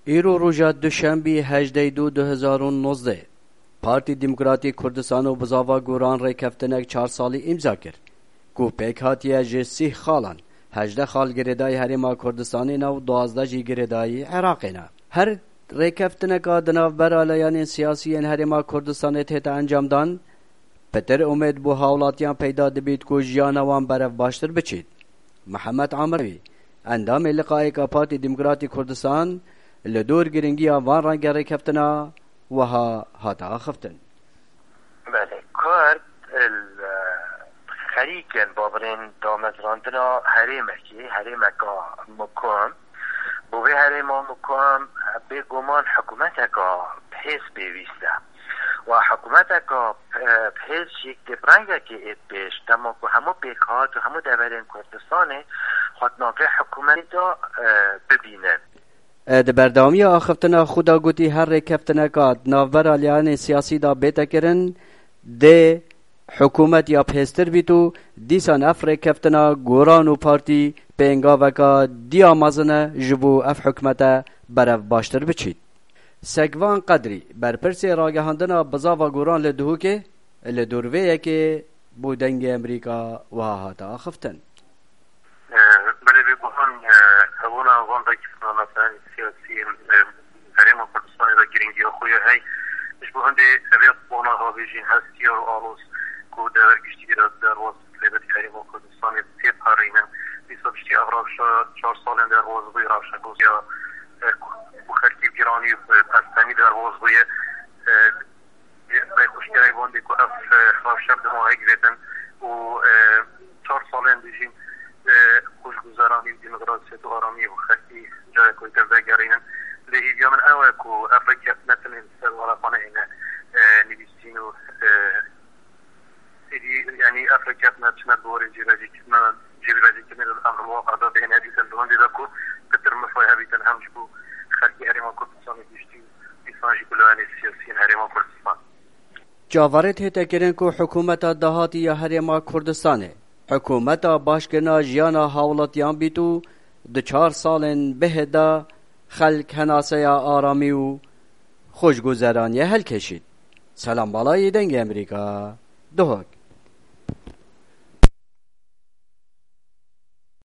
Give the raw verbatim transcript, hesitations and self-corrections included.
Îro roja Duşembî hejdeh du du hezar û nozdeh, Partî Demokratîk Kurdistan û Bizava Goran rêkeftinek çar salî îmza kir, ku pêk hatiye ji sîh xalan, hejdeh xal girêdayî Herêma Kurdistanê ne û duwazdeh jî girêdayî Iraqê ne. Her rêkeftineka di navbera layanên siyasî yên Herêma Kurdistanê tête encamdan, pitir umêd bo hawlatiyan peyda dibît ku jiyana wan berev baştir biçît. Mihemed Amirevî, endamê Liqayêka Partî Demokratîk Kurdistan, li dor giringiya van renge rêkeftina wiha hate axiftin. Belê, Kurd li xerîkên babirên damezrandina herêmekê, herêmeka mukim. Bo vê herêma mukim bêguman hikûmeteka bihêz pêwîst e. Wa hikûmeteka, e, bihêz jî di rengekê êt pêş, dema ku hemû pêkhat û hemû deverên Kurdistanê xwe di navê hikûmetê de, e, bibînin. E, di berdewamiya axiftina xwe de gotî, her rêkeftineka di navbera layanên siyasî de bête kirin, dê hikûmet ya bihêztir bît û dîsan ev rêkeftina Goran û partî pêngaveka diya mezin e ji bo ev hikûmete berev baştir biçît. Sekvan Qedrî, berpirsê ragihandina Bizava Goran li Duhokê, li dor vê yekê bo Dengê Emerîka wiha hate axiftin. Belê, bêguman, e, hebûna van rêkeftina, meselên siyasî yên, e, Herêma Kurdistanê de girîngiya xwe ye hey. Ji bo hindê ev ê bona ravêjîn hestiyar û aloz ku dever giştî de derbas bi taybetî Herêma Kurdistanê têparînin. Dîsa piştî ev rewşa çar salên derbas bûye, rewşa ku ya, e, ku xelkî giranî û, e, pestemî derbas bûye. E, Rê xweşkirayî bandê ku ev, e, rewşa bi dema hêk vêtin û, e, çar salên dijîn, e, xweşguzeranî û demokrasiyet û aramiyê bi xelkî carek wêtir vegerînin. Lê hêviya min ew e ku ev rêkeftin ne tenê li ser waraqaneyê ne, e, nivîsîn û, e, êdî, yanî ev rêkeftin çine bi warê cîbecîkirina, cîbecîkirinê li emrulwaqê de bihêne dîtin, bi hindê de ku pitir mifay hebîtin hem ji bo xelkê Herêma Kurdistanê giştî û dîsan jî ku layanê siyasî yên Herêma Kurdistan. Caverê tête kirin ku hikûmeta dahatî ya Herêma Kurdistanê, hikûmeta başkirina jiyana hawlatiyan bît û di çar salên bihê de xelk henaseya aramî û xweşguzeraniyê helkêşît. Selam Balayî, Dengê Emerîka, Duhok.